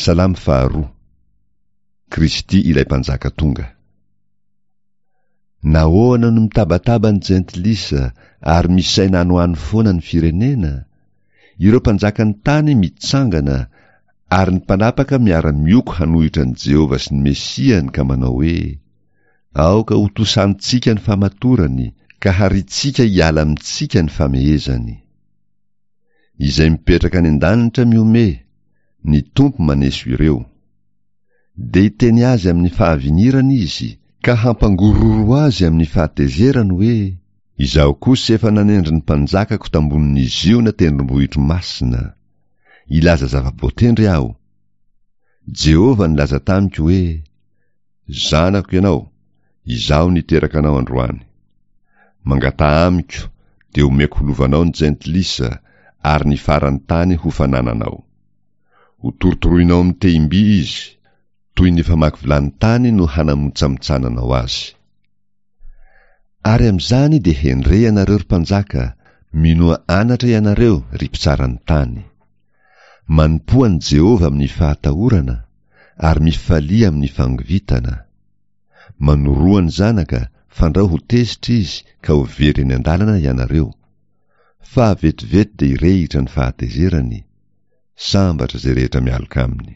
Salamo faharoa. Kristy ilay Mpanjaka tonga. Nahoana no mitabataba ny jentilisa ary misaina any ho any foana ny firenena? Ireo mpanjakan'ny tany mitsangana ary ny mpanapaka miara-mioko hanohitra an'i Jehovah sy ny Mesiany ka manao hoe, Aoka hotosantsika ny famatorany ka harintsika hiala amintsika ny famehezany. Izay mipetraka any an-danitra mihomehy, ny Tompo maneso ireo. Dia hiteny azy amin'ny fahavinirana izy, ka hampangororo azy amin'ny fahatezerany hoe, Izaho kosa efa nanendry ny mpanjakako tambonin'i Ziona tendrombohitro masina. Hilaza zava-boatendry aho. Jehovah nilaza tamiko hoe, Zanako ianao, izaho niteraka anao androany. Mangataha amiko, dia omeko ho lovanao ny jentilisa, ary ny faran'ny tany ho fanananao. Ho torotoroinao amin'ny tehim-by izy, toy ny famaky vilany tany no hanamontsamotsananao azy. Ary amin'izany dia hendre ianareo ry mpanjaka, minoa anatra ianareo ry mpitsara ny tany. Manompoa an'i Jehovah amin'ny fahatahorana, ary mifalia amin'ny fangovitana. Manoroa ny zanaka, fandrao ho tezitra izy ka ho very eny an-dalana ianareo. Fa vetivety dia hirehitra ny fahatezerany, sambatra izay rehetra mialoka aminy.